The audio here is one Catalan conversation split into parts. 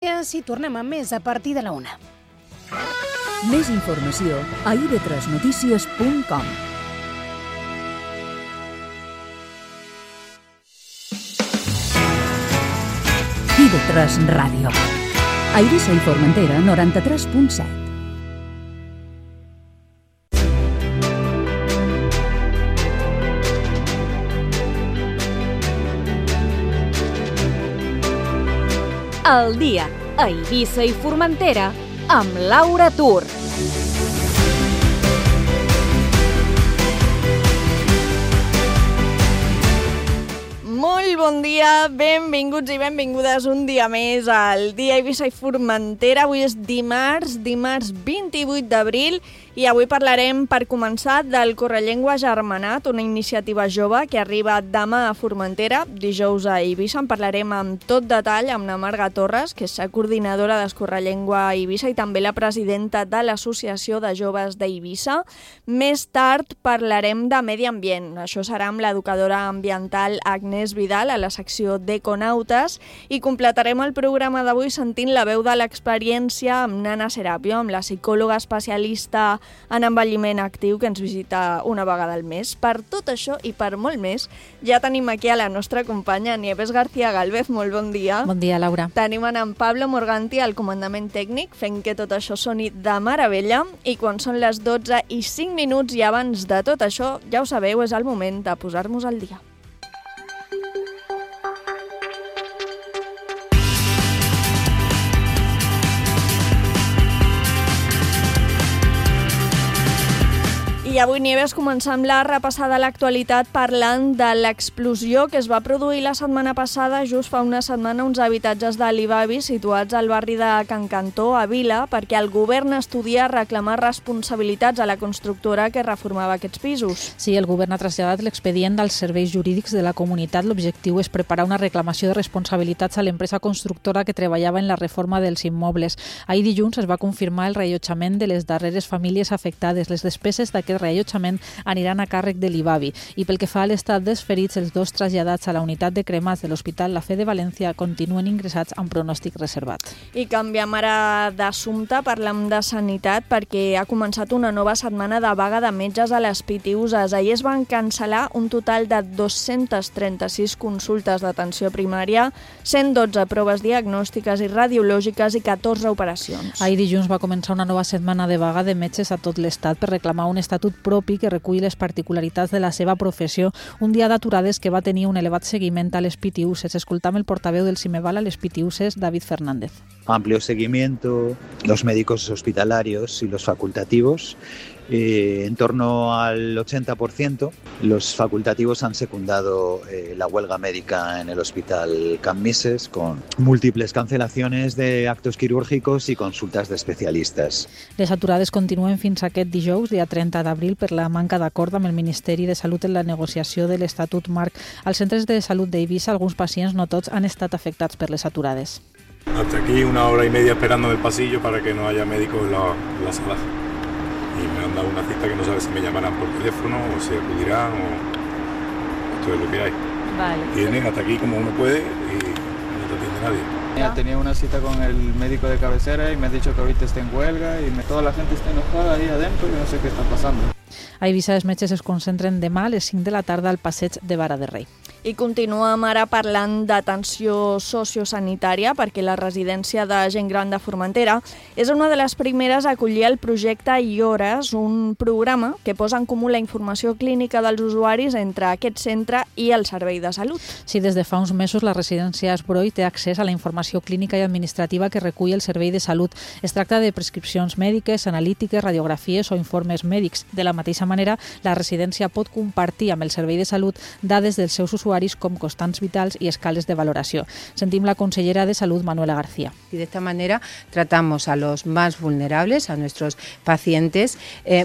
Si tornem amb més a partir de la 1. Més informació a ib3notícies.com. IB3 Ràdio. A Eivissa i Formentera, 93.7. El dia a Eivissa i Formentera amb Laura Tur. Molt bon dia, benvinguts i benvingudes un dia més al dia a Eivissa i Formentera. Avui és dimarts 28 d'abril i avui parlarem, per començar, del Correllengua Germanat, una iniciativa jove que arriba demà a Formentera, dijous a Eivissa. En parlarem amb tot detall amb la Marga Torres, que és la coordinadora d'Escorrellengua a Eivissa i també la presidenta de l'Associació de Joves d'Eivissa. Més tard parlarem de medi ambient. Això serà amb l'educadora ambiental Agnès Vidal a la secció d'Econautes i completarem el programa d'avui sentint la veu de l'experiència amb Nana Serapio, amb la psicòloga especialista en envelliment actiu que ens visita una vegada al mes. Per tot això i per molt més, ja tenim aquí a la nostra companya Nieves García Galvez. Molt bon dia. Bon dia, Laura. Tenim en Pablo Morganti al comandament tècnic, fent que tot això soni de meravella. I quan són les 12:05 i abans de tot això, ja ho sabeu, és el moment de posar-nos al dia. I avui, Nieves, començam la repassada a l'actualitat parlant de l'explosió que es va produir la setmana passada, just fa una setmana, uns habitatges de l'Ibavi situats al barri de Can Cantó, a Vila, perquè el govern estudia reclamar responsabilitats a la constructora que reformava aquests pisos. Sí, el govern ha traslladat l'expedient als serveis jurídics de la comunitat. L'objectiu és preparar una reclamació de responsabilitats a l'empresa constructora que treballava en la reforma dels immobles. Ahir dilluns es va confirmar el reallotjament de les darreres famílies afectades. Les despeses d'aquest reallotjament aniran a càrrec de l'Ibavi. I pel que fa a l'estat dels ferits, els dos traslladats a la unitat de cremats de l'Hospital La Fe de València continuen ingressats amb pronòstic reservat. I canviem ara d'assumpte, parlem de sanitat, perquè ha començat una nova setmana de vaga de metges a les PTUs. Ahir es van cancel·lar un total de 236 consultes d'atenció primària, 112 proves diagnòstiques i radiològiques i 14 operacions. Ahir dilluns va començar una nova setmana de vaga de metges a tot l'estat per reclamar un estatut propi que recull les particularitats de la seva professió, un dia d'aturades que va tenir un elevat seguiment a les PTUs. Escoltam el portaveu del Cimeval a les PTUs, David Fernández. Amplio seguimiento, los médicos hospitalarios y los facultativos. En torno al 80%, los facultativos han secundado la huelga médica en el Hospital Can Mises con múltiples cancelaciones de actos quirúrgicos y consultas de especialistas. Les aturades continuen fins aquest dijous, dia 30 d'abril, per la manca d'acord amb el Ministeri de Salut en la negociació de l'Estatut Marc. Als centres de salut d'Eivissa, alguns pacients, no tots, han estat afectats per les aturades. Hasta aquí 1 hora y media esperando en el pasillo para que no haya médicos en la sala. Y me han dado una cita que no sabe si me llamarán por teléfono o si acudirán o esto es lo que hay. Vale. Vienen hasta aquí como uno puede y no te atiende nadie. Ya tenía una cita con el médico de cabecera y me ha dicho que ahorita está en huelga y toda la gente está enojada ahí adentro y no sé qué está pasando. A Eivissa els metges es concentren demà a les 5 de la tarda al passeig de Vara de Rei. I continuem ara parlant d'atenció sociosanitària, perquè la residència de gent gran de Formentera és una de les primeres a acollir el projecte IORES, un programa que posa en comú la informació clínica dels usuaris entre aquest centre i el servei de salut. Sí, des de fa uns mesos la residència Esbroi té accés a la informació clínica i administrativa que recull el servei de salut. Es tracta de prescripcions mèdiques, analítiques, radiografies o informes mèdics. De la mateixa manera, la residència pot compartir amb el servei de salut dades dels seus usuaris com constants vitals y escales de valoració. Sentim la consellera de Salud, Manuela García. Y de esta manera tratamos a los más vulnerables, a nuestros pacientes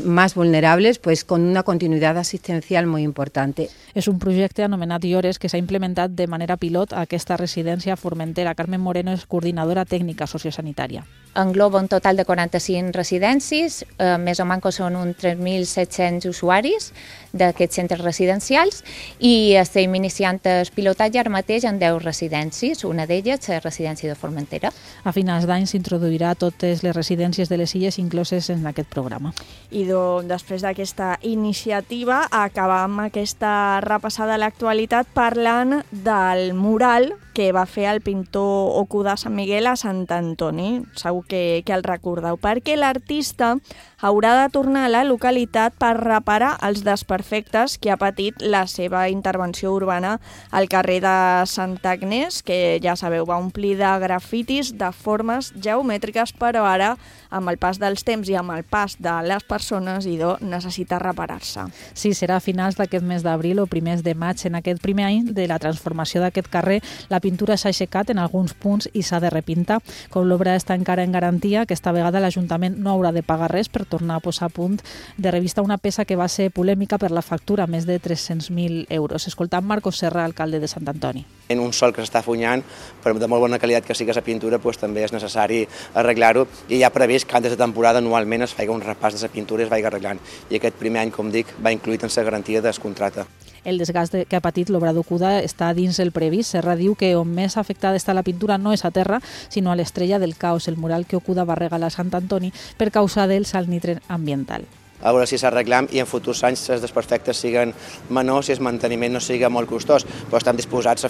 más vulnerables, pues con una continuidad asistencial muy importante. És un projecte anomenat IORES que s'ha implementat de manera pilot a aquesta residència a Formentera. Carmen Moreno és coordinadora tècnica sociosanitària. Engloba un total de 45 residències, més o menys són uns 3.700 usuaris d'aquests centres residencials i aquesta iniciant el pilotatge ara mateix en 10 residències, una d'elles la residència de Formentera. A finals d'any s'introduirà totes les residències de les illes incloses en aquest programa. I després d'aquesta iniciativa acabam aquesta repassada a l'actualitat parlant del mural que va fer el pintor Okuda Sant Miguel a Sant Antoni. Segur que el recordeu, perquè l'artista haurà de tornar a la localitat per reparar els desperfectes que ha patit la seva intervenció urbana al carrer de Santa Agnès, que ja sabeu, va omplir de grafitis de formes geomètriques, però ara, amb el pas dels temps i amb el pas de les persones, necessita reparar-se. Sí, serà a finals d'aquest mes d'abril o primers de maig. En aquest primer any de la transformació d'aquest carrer, la pintura s'ha aixecat en alguns punts i s'ha de repintar. Com l'obra està encara en garantia, aquesta vegada l'Ajuntament no haurà de pagar res per tornar a posar a punt de revista una peça que va ser polèmica per la factura, més de 300.000 euros. Escoltant Marcos Serra, alcalde de Sant Antoni. En un sol que s'està funyant, però de molt bona qualitat que sigui la pintura, també és necessari arreglar-ho, i ja previst que antes de temporada anualment es faci un repàs de la pintura i es vagi arreglant. I aquest primer any, com dic, va incluït en la garantia del contracte. El desgast que ha patit l'obra d'Okuda està dins el previst. Serra diu que on més afectada està la pintura no és a terra, sinó a l'Estrella del Caos, el mural que Okuda va regalar a Sant Antoni per causa del salt nitre ambiental. A veure si s'arreglam i en futurs anys els desperfectes siguen menors i el manteniment no sigui molt costós, però estem disposats a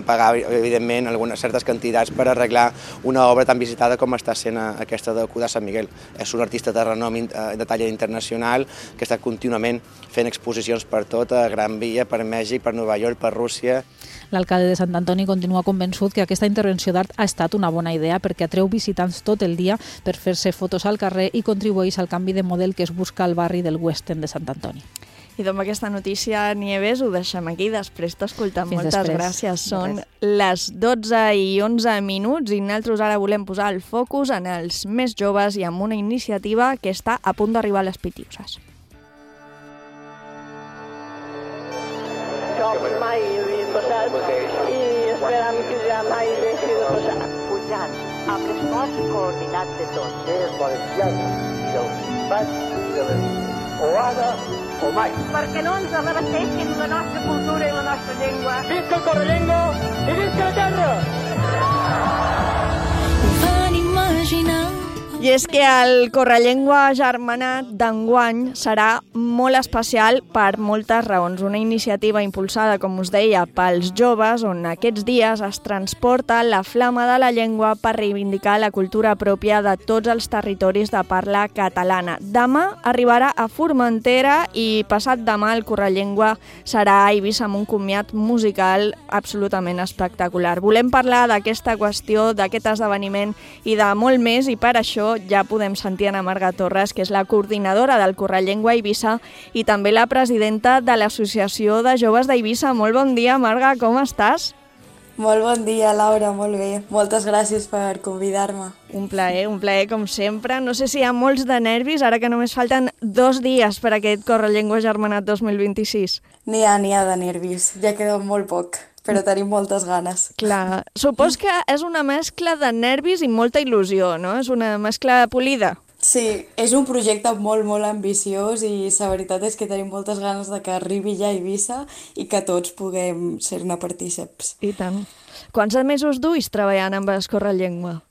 pagar, evidentment, algunes certes quantitats per arreglar una obra tan visitada com està sent aquesta d'Okuda Sant Miguel. És un artista de renom de talla internacional que està contínuament fent exposicions per tot, a Gran Via, per Mèxic, per Nova York, per Rússia. L'alcalde de Sant Antoni continua convençut que aquesta intervenció d'art ha estat una bona idea perquè atreu visitants tot el dia per fer-se fotos al carrer i contribueix al canvi de model que es busca al barri del West End de Sant Antoni. I amb aquesta notícia, Nieves, ho deixem aquí. Després t'escoltem. Moltes gràcies. Són les 12:11 i nosaltres ara volem posar el focus en els més joves i en una iniciativa que està a punt d'arribar a les Pitiuses. Jo mai havia passat i esperam que ja mai deixi de passar. Pujant amb l'esforç coordinat de tots. És valenciana i del Principat i de l'Elit. O ara o mai. Perquè no ens arrebasteixin la nostra cultura i la nostra llengua. Visca el Correllengua i visca la terra! Ho van imaginar. I és que el Correllengua Agermanat d'enguany serà molt especial per moltes raons. Una iniciativa impulsada, com us deia, pels joves, on aquests dies es transporta la flama de la llengua per reivindicar la cultura pròpia de tots els territoris de parla catalana. Demà arribarà a Formentera i passat demà el Correllengua serà a Eivissa amb un comiat musical absolutament espectacular. Volem parlar d'aquesta qüestió, d'aquest esdeveniment i de molt més, i per això ja podem sentir a Marga Torres, que és la coordinadora del Correllengua Eivissa i també la presidenta de l'Associació de Joves d'Eivissa. Molt bon dia, Marga, com estàs? Molt bon dia, Laura, molt bé. Moltes gràcies per convidar-me. Un plaer com sempre. No sé si hi ha molts de nervis, ara que només falten 2 dies per a aquest Correllengua Agermanat 2026. N'hi ha de nervis, ja queda molt poc, però tenim moltes ganes. Clar, supos que és una mescla de nervis i molta il·lusió, no? És una mescla polida. Sí, és un projecte molt, molt ambiciós i la veritat és que tenim moltes ganes de que arribi ja a Eivissa i que tots puguem ser-ne partíceps. I tant. Quants mesos duis treballant amb el Correllengua?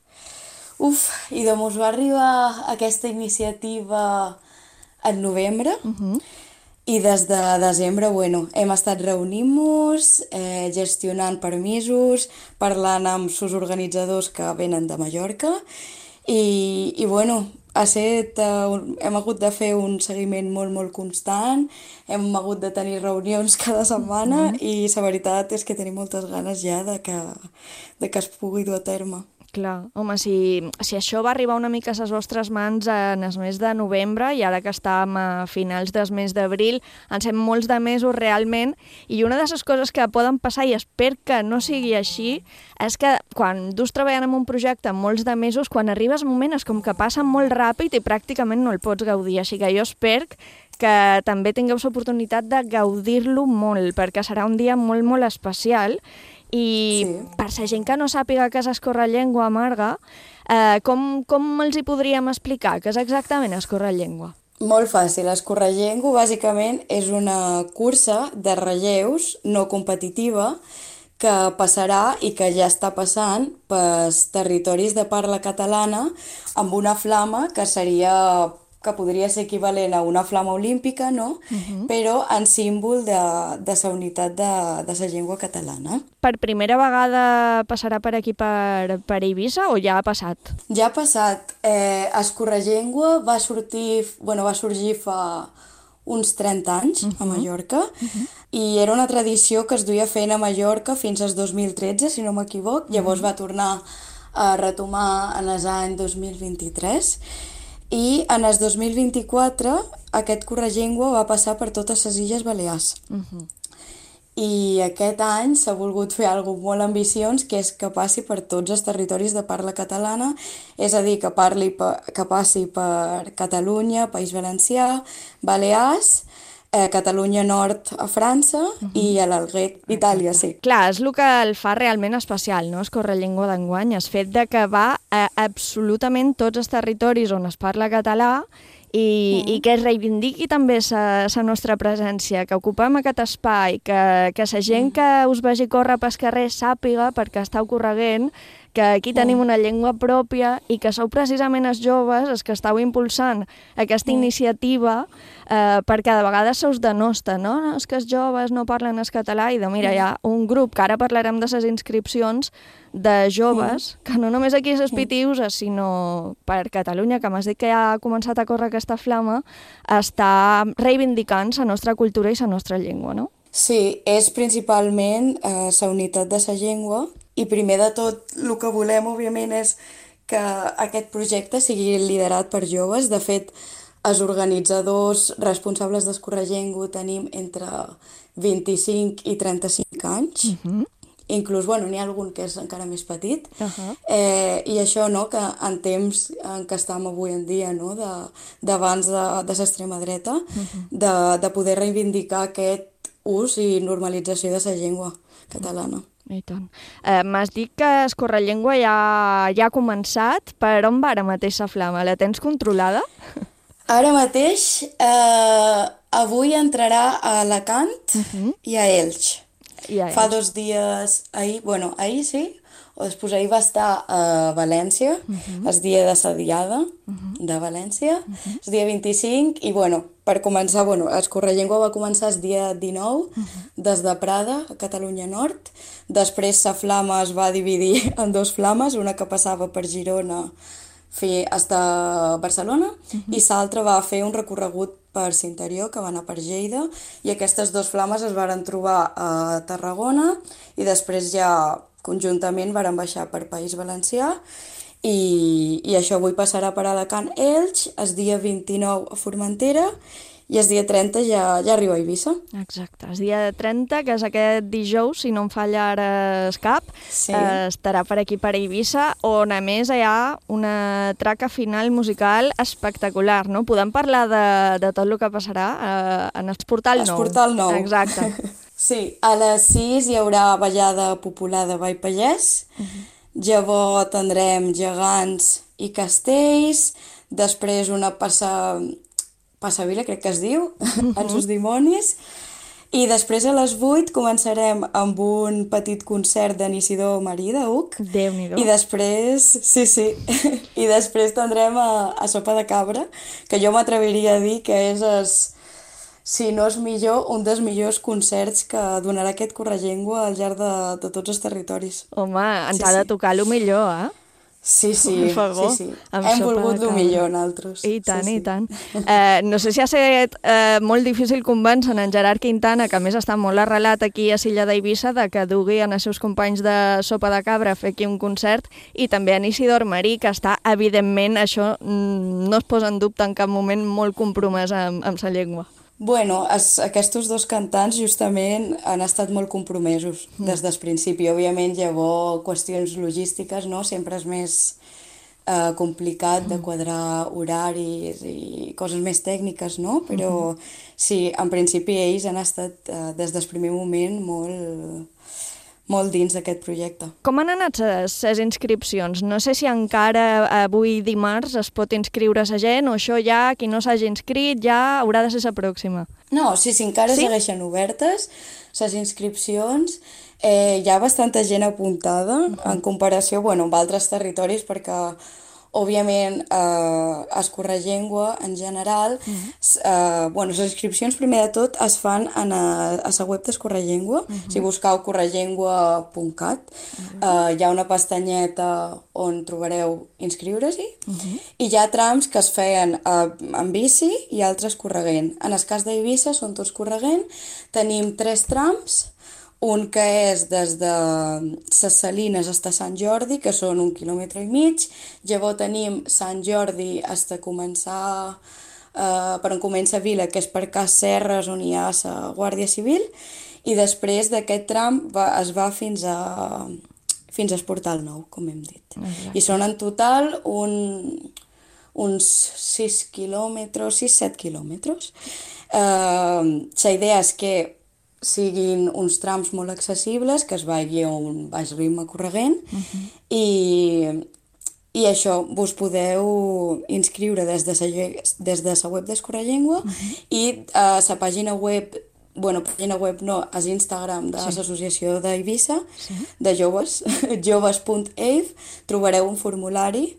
I doncs va arribar aquesta iniciativa en novembre i des de desembre, hem estat reunint-nos, gestionant permisos, parlant amb els organitzadors que venen de Mallorca i hem hagut de fer un seguiment molt, molt constant, hem hagut de tenir reunions cada setmana i la veritat és que tenim moltes ganes ja de que es pugui dur a terme. Clar, home, si això va arribar una mica a les vostres mans en el mes de novembre i ara que estàvem a finals del mes d'abril, ens hem molts de mesos realment, i una de les coses que poden passar, i espero que no sigui així, és que quan dus treballant en un projecte molts de mesos, quan arribes un moment és com que passa molt ràpid i pràcticament no el pots gaudir, així que jo espero que també tingueu l'oportunitat de gaudir-lo molt, perquè serà un dia molt, molt especial. I per la gent que no sàpiga què és el Correllengua, Marga, com els hi podríem explicar què és exactament el Correllengua? Molt fàcil. Escorregengo, bàsicament, és una cursa de relleus no competitiva que passarà i que ja està passant pels territoris de parla catalana amb una flama que podria ser equivalent a una flama olímpica, no? Però en símbol de la unitat de la llengua catalana. Per primera vegada passarà per aquí per Eivissa o ja ha passat? Ja ha passat. Escorregeingua va sorgir fa uns 30 anys a Mallorca i era una tradició que es duia fent a Mallorca fins al 2013, si no m'equivoc. Llavors va tornar a retomar en l'any 2023 i en el 2024 aquest corregeingua va passar per totes les Illes Balears. I aquest any s'ha volgut fer alguna cosa molt ambiciós, que és que passi per tots els territoris de parla catalana, és a dir, que passi per Catalunya, País Valencià, Balears, Catalunya Nord a França i a l'Alguer, Itàlia, sí. Clar, és el que el fa realment especial, no?, Escorrellengua d'enguany, el fet de que va a absolutament tots els territoris on es parla català i que es reivindiqui també la nostra presència, que ocupem aquest espai, que la gent que us vagi córrer pel carrer sàpiga, perquè estàu correguent, que aquí tenim una llengua pròpia i que sou precisament els joves els que estàu impulsant aquesta iniciativa perquè de vegades se us denosta, no? És que els joves no parlen el català i mira, hi ha un grup, que ara parlarem de les inscripcions, de joves, que no només aquí als Pitius, sinó per Catalunya, que m'has dit que ja ha començat a córrer aquesta flama, està reivindicant la nostra cultura i la nostra llengua, no? Sí, és principalment la unitat de la llengua i primer de tot el que volem, òbviament, és que aquest projecte sigui liderat per joves. De fet, els organitzadors responsables d'Escorregengo tenim entre 25 i 35 anys. Inclús, n'hi ha algun que és encara més petit. I això, no?, que en temps en què estem avui en dia, no?, d'abans de l'extrema dreta, de poder reivindicar aquest ús i normalització de la llengua catalana. I tant. M'has dit que Escorrellengua ja ha començat. Per on va ara mateix la flama? La tens controlada? Ara mateix, avui entrarà a Alacant i a Elx. Fa 2 dies, ahir sí, o després ahir va estar a València, el dia de la Diada de València, el dia 25, i per començar, Escorrellengua va començar el dia 19, des de Prada, a Catalunya Nord. Després la flama es va dividir en 2 flames, una que passava per Girona fins a Barcelona i l'altra va fer un recorregut per l'interior, que va anar per Lleida, i aquestes 2 flames es varen trobar a Tarragona i després ja conjuntament varen baixar per País Valencià i això avui passarà per Alacant, Elx, el dia 29 a Formentera i el dia 30 ja arriba a Eivissa. Exacte, el dia 30, que és aquest dijous, si no em falla ara el cap, estarà per aquí per Eivissa, on a més hi ha una traca final musical espectacular, no? Podem parlar de tot el que passarà en el Portal Nou. El Portal Nou. Exacte. Sí, a les 6 hi haurà ballada popular de Ball Pallès, llavors tindrem gegants i castells, després una passavila, crec que es diu, en sus dimonis, i després a les 8 començarem amb un petit concert d'en Isidor Marí, d'Uc, Déu-n'hi-do. I després, i després tindrem a Sopa de Cabra, que jo m'atreviria a dir que és si no és millor, un dels millors concerts que donarà aquest Corregeingua al llarg de tots els territoris. Home, ens ha de tocar el millor, eh? Sí. Hem volgut el millor, nosaltres. I tant, i tant. No sé si ha estat molt difícil convèncer en Gerard Quintana, que a més està molt arrelat aquí a l'illa d'Eivissa, de que dugui en els seus companys de Sopa de Cabra a fer aquí un concert, i també en Isidor Marí, que està, evidentment, això no es posa en dubte en cap moment, molt compromès amb la llengua. Aquests 2 cantants justament han estat molt compromesos des del principi. Òbviament, llavors, qüestions logístiques, no? Sempre és més complicat de quadrar horaris i coses més tècniques, no? Però sí, en principi ells han estat des del primer moment molt dins d'aquest projecte. Com han anat les inscripcions? No sé si encara avui dimarts es pot inscriure la gent o això ja, qui no s'hagi inscrit, ja haurà de ser la pròxima. No, sí, encara segueixen obertes les inscripcions. Hi ha bastanta gent apuntada en comparació amb altres territoris perquè òbviament, a Escorrellengua, en general, les inscripcions, primer de tot, es fan a la web d'Escorrellengua. Si buscau correllengua.cat, hi ha una pestanyeta on trobareu inscriure-s'hi, i hi ha trams que es feien en bici i altres corregent. En el cas d'Eivissa són tots corregent, tenim 3 trams, un que és des de ses Salines fins a Sant Jordi, que són 1,5 quilòmetres. Llavors tenim Sant Jordi fins a començar, per on comença Vila, que és per Cas Serres, on hi ha la Guàrdia Civil, i després d'aquest tram es va fins al Portal Nou, com hem dit. I són en total uns 6-7 quilòmetres. La idea és que siguin uns trams molt accessibles, que es vagi a un baix ritme corregent, i això, vos podeu inscriure des de la web d'Escorrellengua i a la pàgina web, pàgina web no, a l'Instagram de l'Associació d'Eivissa, de joves, joves.eiv, trobareu un formulari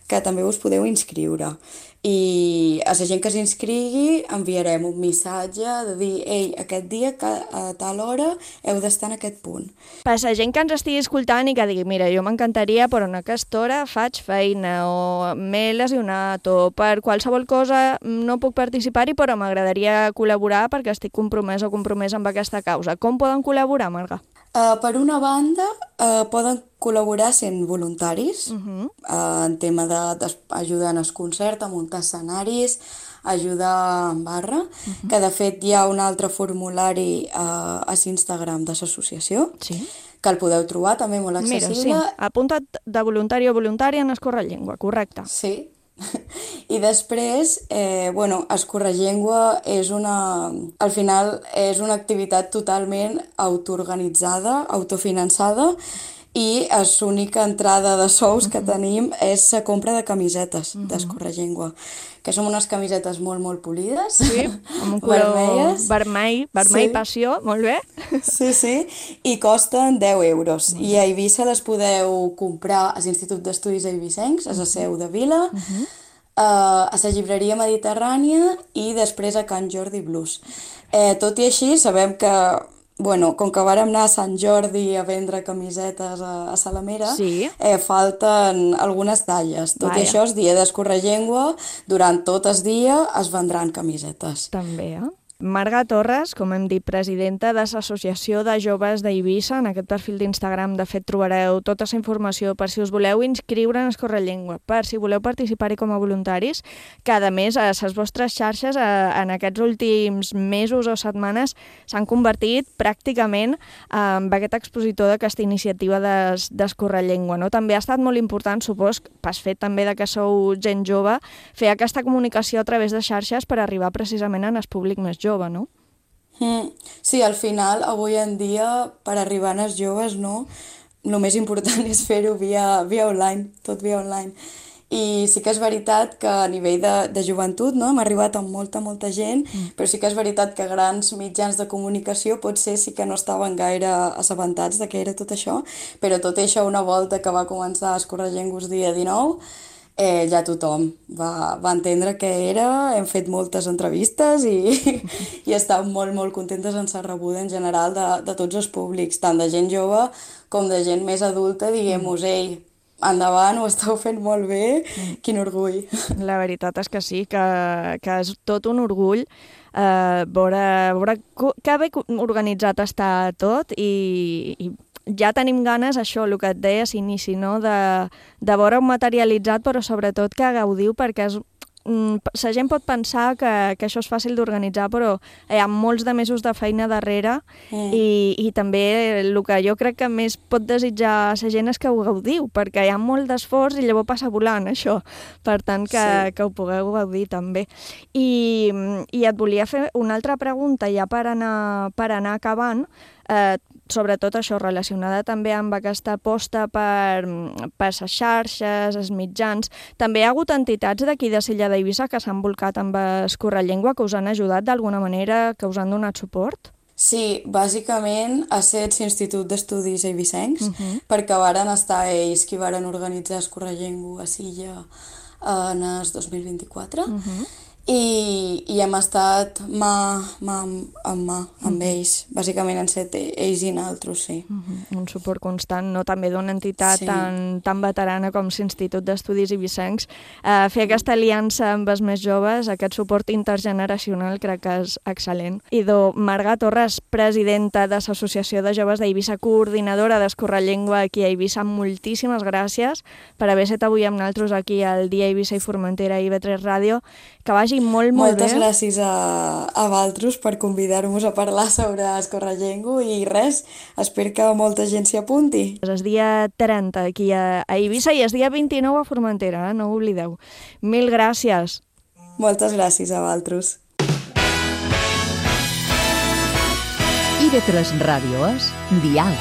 que també us podeu inscriure. I a la gent que s'inscrigui enviarem un missatge de dir ei, aquest dia a tal hora heu d'estar en aquest punt. Per la gent que ens estigui escoltant i que digui mira, jo m'encantaria, però en aquesta hora faig feina o m'he lesionat o per qualsevol cosa no puc participar-hi, però m'agradaria col·laborar perquè estic compromès o compromès amb aquesta causa. Com poden col·laborar, Marga? Per una banda, poden col·laborar sent voluntaris, en tema d'ajudar en el concert, a muntar escenaris, ajudar en barra, que de fet hi ha un altre formulari a l'Instagram de l'associació, que el podeu trobar també molt accessible. Mira, sí, apunta't de voluntari o voluntària en Escorrellengua, correcte. Sí. I després, Escorrellengua al final és una activitat totalment autoorganitzada, autofinançada, i l'única entrada de sous que tenim és la compra de camisetes d'Escorrellengua, que són unes camisetes molt, molt polides, amb un color vermell passió, molt bé. Sí, i costen 10 euros. I a Eivissa les podeu comprar a l'Institut d'Estudis Eivissencs, a la seu de Vila, a la llibreria Mediterrània i després a Can Jordi Blues. Tot i així, sabem que com que vàrem anar a Sant Jordi a vendre camisetes a Salamera, falten algunes talles. Tot i això, el dia d'Escorrellengua, durant tot el dia es vendran camisetes. També, Marga Torres, com hem dit, presidenta de l'Associació de Joves d'Eivissa. En aquest perfil d'Instagram, de fet, trobareu tota la informació per si us voleu inscriure en Escorrellengua, per si voleu participar-hi com a voluntaris, que, a més, a les vostres xarxes en aquests últims mesos o setmanes s'han convertit pràcticament en aquest expositor d'aquesta iniciativa d'Escorrellengua. També ha estat molt important, supos, pel fet també que sou gent jove, fer aquesta comunicació a través de xarxes per arribar precisament al públic més jove. No? Sí, al final, avui en dia, per arribar als joves, el més important és fer-ho via online, tot via online. I sí que és veritat que a nivell de joventut hem arribat amb molta gent, però sí que és veritat que grans mitjans de comunicació potser sí que no estaven gaire assabentats de què era tot això, però tot això, una volta que va començar a Escorrellengua el dia 19, ja tothom va entendre què era, hem fet moltes entrevistes i estem molt contentes en la rebuda en general de tots els públics, tant de gent jove com de gent més adulta, diguem-nos, ei, endavant, ho esteu fent molt bé, quin orgull. La veritat és que sí, que és tot un orgull veure que bé organitzat està tot i ja tenim ganes, això, el que et deia a l'inici, de veure-ho materialitzat, però sobretot que gaudiu, perquè la gent pot pensar que això és fàcil d'organitzar, però hi ha molts de mesos de feina darrere i també el que jo crec que més pot desitjar la gent és que ho gaudiu, perquè hi ha molt d'esforç i llavors passa volant, això. Per tant, que ho pugueu gaudir també. I et volia fer una altra pregunta, ja per anar acabant. sobretot això, relacionada també amb aquesta aposta per les xarxes, els mitjans. També hi ha hagut entitats d'aquí de Sella d'Eivissa que s'han volcat amb Escorrellengua, que us han ajudat d'alguna manera, que us han donat suport? Sí, bàsicament ha estat l'Institut d'Estudis Eivissencs, perquè varen estar ells qui varen organitzar Escorrellengua a Silla en el 2024, i hem estat mà amb ells, bàsicament han estat ells i nosaltres, sí. Un suport constant, no? També d'una entitat tan veterana com l'Institut d'Estudis Eivissencs. Fer aquesta aliança amb els més joves, aquest suport intergeneracional, crec que és excel·lent. I Marga Torres, presidenta de l'Associació de Joves d'Eivissa, coordinadora d'Escorrellengua aquí a Eivissa, moltíssimes gràcies per haver estat avui amb nosaltres aquí al Dia Eivissa i Formentera a IB3 Ràdio. Que vagi molt bé. Moltes gràcies a vosaltres per convidar-nos a parlar sobre Escorrellengua i res, espero que molta gent s'hi apunti. És el dia 30 aquí a Eivissa i el dia 29 a Formentera, no ho oblideu. Mil gràcies. Moltes gràcies a vosaltres. IB3 Radio es Dial.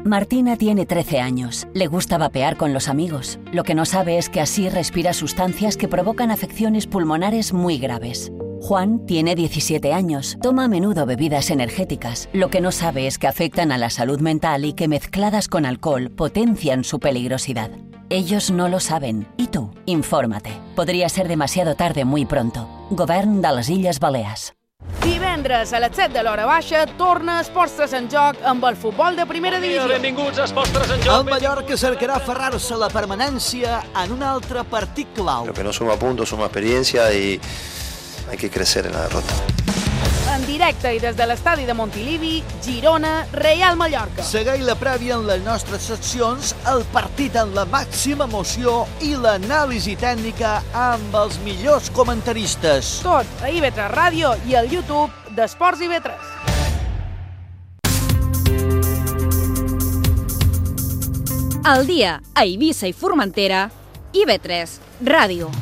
Martina tiene 13 años. Le gusta vapear con los amigos. Lo que no sabe es que así respira sustancias que provocan afecciones pulmonares muy graves. Juan tiene 17 años. Toma a menudo bebidas energéticas. Lo que no sabe es que afectan a la salud mental y que mezcladas con alcohol potencian su peligrosidad. Ellos no lo saben. ¿Y tú? Infórmate. Podría ser demasiado tarde muy pronto. Govern de les Illes Balears. Divendres a les 7 de l'hora baixa torna Esports 3 en joc amb el futbol de primera divisió. Benvinguts a Esports 3 en joc. El Mallorca cercarà aferrar-se a la permanència en un altre partit clau. Lo que no suma puntos, suma experiencia y hay que crecer en la derrota. En directe i des de l'estadi de Montilivi, Girona, Real Mallorca. Segueix la prèvia en les nostres seccions, el partit en la màxima emoció i l'anàlisi tècnica amb els millors comentaristes. Tot a IB3 Ràdio i al YouTube d'Esports IB3. Al dia a Eivissa i Formentera, IB3 Ràdio.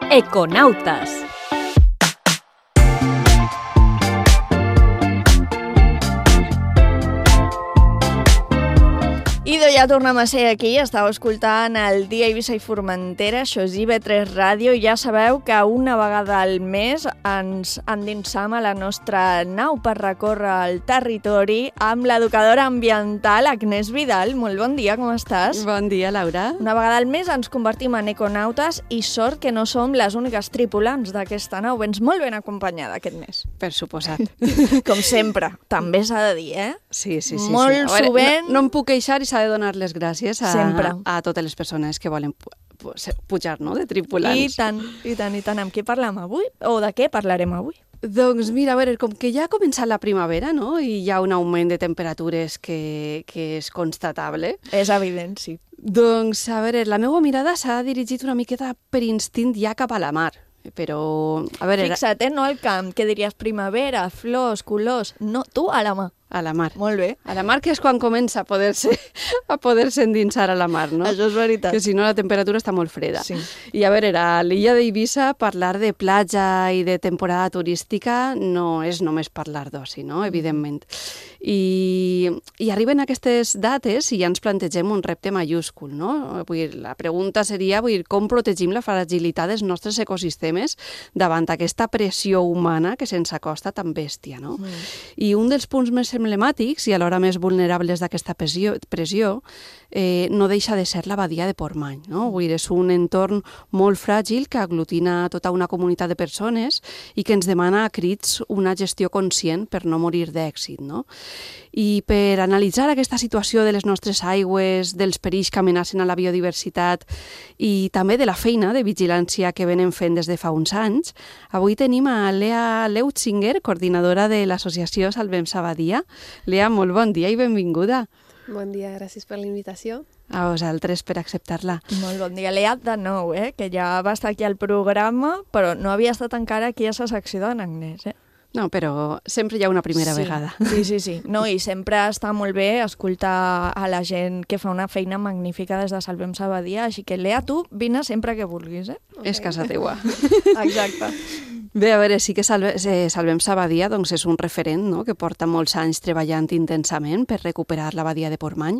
Econautes. I ja tornem a ser aquí, estàu escoltant el Dia Eivissa i Formentera, això és IB3 Ràdio, i ja sabeu que una vegada al mes ens endinsam a la nostra nau per recórrer el territori amb l'educadora ambiental Agnès Vidal. Molt bon dia, com estàs? Bon dia, Laura. Una vegada al mes ens convertim en econautes i sort que no som les úniques tripulants d'aquesta nau. Vens molt ben acompanyada aquest mes. Per suposat. Com sempre, també s'ha de dir, eh? Sí. Molt sovint. No em puc queixar i s'ha de donar les gràcies a totes les persones que volen pujar, no?, de tripulants. I tant. Amb qui parlem avui? O de què parlarem avui? Doncs mira, a veure, com que ja ha començat la primavera, no?, i hi ha un augment de temperatures que és constatable. És evident, sí. Doncs, a veure, la meva mirada s'ha dirigit una miqueta per instint ja cap a la mar. Però, a veure... Fixa't, no al camp, que diries primavera, flors, colors... No, tu a la mar. A la mar. Molt bé. A la mar, que és quan comença a poder-se endinsar a la mar, no? Això és veritat. Que si no la temperatura està molt freda. Sí. I a veure, a l'illa d'Eivissa parlar de platja i de temporada turística no és només parlar d'oci, no?, evidentment. I arriben aquestes dates i ja ens plantegem un repte majúscul, no? La pregunta seria com protegim la fragilitat dels nostres ecosistemes davant aquesta pressió humana que se'ns acosta tan bèstia, no? I un dels punts més emblemàtics i alhora més vulnerables d'aquesta pressió no deixa de ser la badia de Portmany, no? És un entorn molt fràgil que aglutina tota una comunitat de persones i que ens demana a crits una gestió conscient per no morir d'èxit, no? I per analitzar aquesta situació de les nostres aigües, dels perills que amenacen a la biodiversitat i també de la feina de vigilància que venen fent des de fa uns anys, avui tenim a Lea Leutzinger, coordinadora de l'associació Salvem Sabadia. Lea, molt bon dia i benvinguda. Bon dia, gràcies per la invitació. A vosaltres per acceptar-la. Molt bon dia. Lea, de nou, que ja va estar aquí al programa, però no havia estat encara aquí a la secció d'en Agnès, No, però sempre hi ha una primera vegada. Sí. No, i sempre està molt bé escoltar a la gent que fa una feina magnífica des de Salvem Sabadia, així que, Lea, tu vine sempre que vulguis, És casa teua. Exacte. Bé, a veure, sí que Salvem Sabadia doncs és un referent, no?, que porta molts anys treballant intensament per recuperar la badia de Portmany.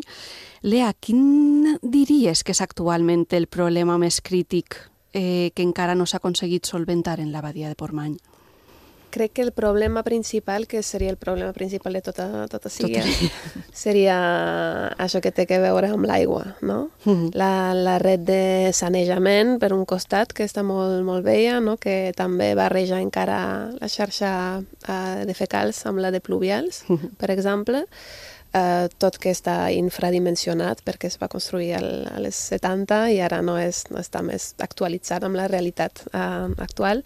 Lea, quin diries que és actualment el problema més crític que encara no s'ha aconseguit solventar en la badia de Portmany? Crec que el problema principal, que seria el problema principal de tota Síria, seria això que té a veure amb l'aigua, no? La red de sanejament, per un costat, que està molt vella, no? Que també barreja encara la xarxa de fecals amb la de pluvials, per exemple, tot que està infradimensionat perquè es va construir a les 70 i ara no està més actualitzat amb la realitat actual.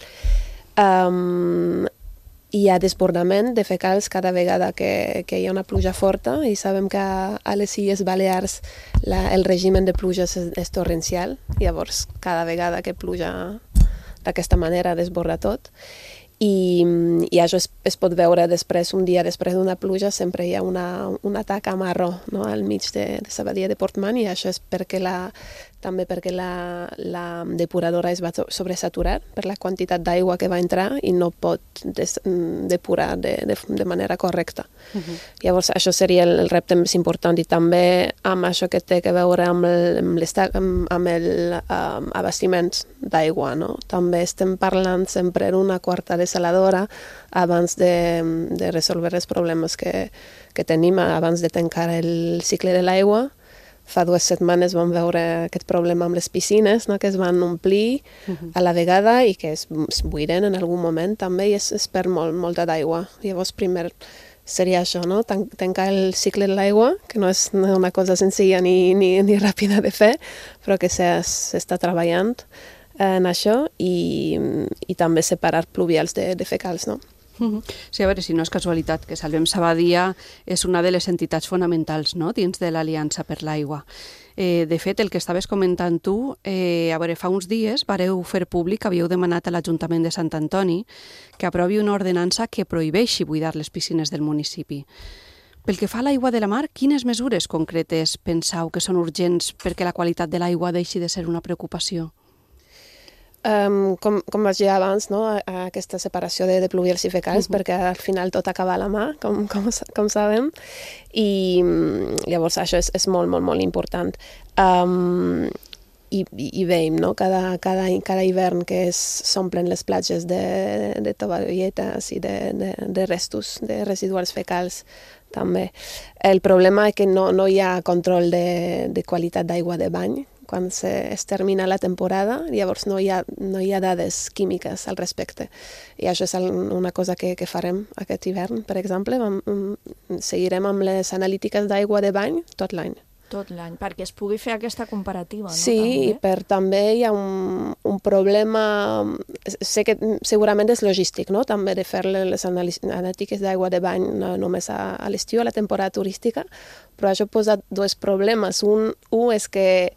Hi ha desbordament de fecals cada vegada que hi ha una pluja forta i sabem que a les Illes Balears el règim de pluges és torrencial, llavors cada vegada que pluja d'aquesta manera desborda tot i això es pot veure després, un dia després d'una pluja sempre hi ha una taca marró, no?, al mig de la badia de Portmany, i això és també perquè la depuradora es va sobresaturar per la quantitat d'aigua que va entrar i no pot depurar de manera correcta. Llavors, això seria el repte més important, i també amb això que té a veure amb l'abastiment d'aigua, no? També estem parlant sempre d'una quarta desaladora abans de resoldre els problemes que tenim, abans de tancar el cicle de l'aigua. Fa 2 setmanes vam veure aquest problema amb les piscines, no?, que es van omplir a la vegada i que es buiden en algun moment també i es perd molta d'aigua. Llavors, primer seria això, no?, tancar el cicle de l'aigua, que no és una cosa senzilla ni ràpida de fer, però que s'està treballant en això i també separar pluvials de fecals, no? Sí, a veure, si no és casualitat que Salvem Sabadia és una de les entitats fonamentals, no?, dins de l'Aliança per l'Aigua. De fet, el que estaves comentant tu, a veure, fa uns dies vareu fer públic, havíeu demanat a l'Ajuntament de Sant Antoni que aprovi una ordenança que prohibeixi buidar les piscines del municipi. Pel que fa a l'aigua de la mar, quines mesures concretes penseu que són urgents perquè la qualitat de l'aigua deixi de ser una preocupació? Com vaig dir abans, no? Aquesta separació de pluvials i fecals, perquè al final tot acaba a la mà, com sabem, i llavors això és molt important. I veiem, no?, cada hivern que s'omplen les platges de tovalloletes i de restos, de residuals fecals també. El problema és que no hi ha control de qualitat d'aigua de bany. Quan es termina la temporada, llavors no hi ha dades químiques al respecte. I això és una cosa que farem aquest hivern, per exemple. Seguirem amb les analítiques d'aigua de bany tot l'any. Tot l'any, perquè es pugui fer aquesta comparativa, no? Sí, i també hi ha un problema, sé que segurament és logístic, no?, també de fer les analítiques d'aigua de bany no només a l'estiu, a la temporada turística, però això posa 2 problemes. Un és que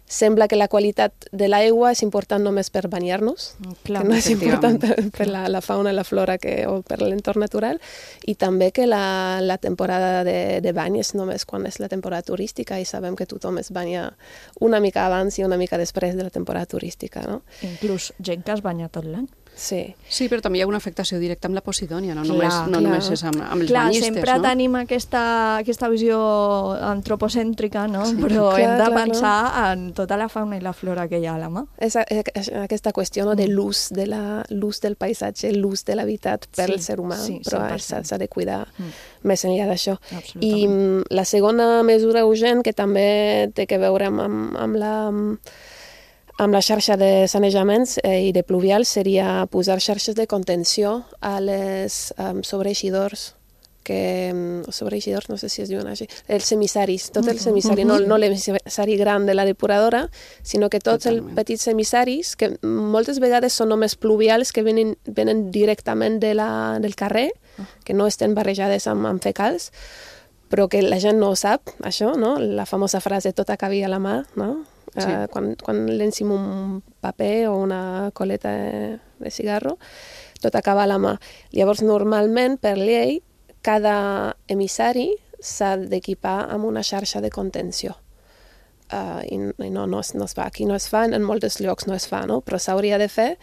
sembla que la qualitat de l'aigua és important només per banyar-nos, que no és important per la fauna i la flora o per l'entorn natural, i també que la temporada de bany és només quan és la temporada turística, i sabem que tothom es banya una mica abans i una mica després de la temporada turística, no? Inclús gent que es banya tot l'any. Sí, però també hi ha una afectació directa amb la Posidònia, no només és amb els banyistes, no? Sempre tenim aquesta visió antropocèntrica, no? Però hem de pensar en tota la fauna i la flora que hi ha a la mà. És aquesta qüestió de l'ús del paisatge, l'ús de l'habitat per al ser humà, però s'ha de cuidar més enllà d'això. I la segona mesura urgent, que també té a veure amb la xarxa de sanejaments i de pluvials, seria posar xarxes de contenció a les sobreeixidors, no sé si es diuen així, els semissaris, tot el semissari, no l'emissari gran de la depuradora, sinó que tots els petits semissaris, que moltes vegades són només pluvials que venen directament del carrer, que no estan barrejades amb fecals, però que la gent no ho sap, això, no? La famosa frase tot acabi a la mà, no? Sí. Quan llencim un paper o una coleta de cigarro, tot acaba a la mà. Llavors, normalment, per llei, cada emissari s'ha d'equipar amb una xarxa de contenció. I no es fa. Aquí no es fa, en molts llocs no es fa, no? Però s'hauria de fer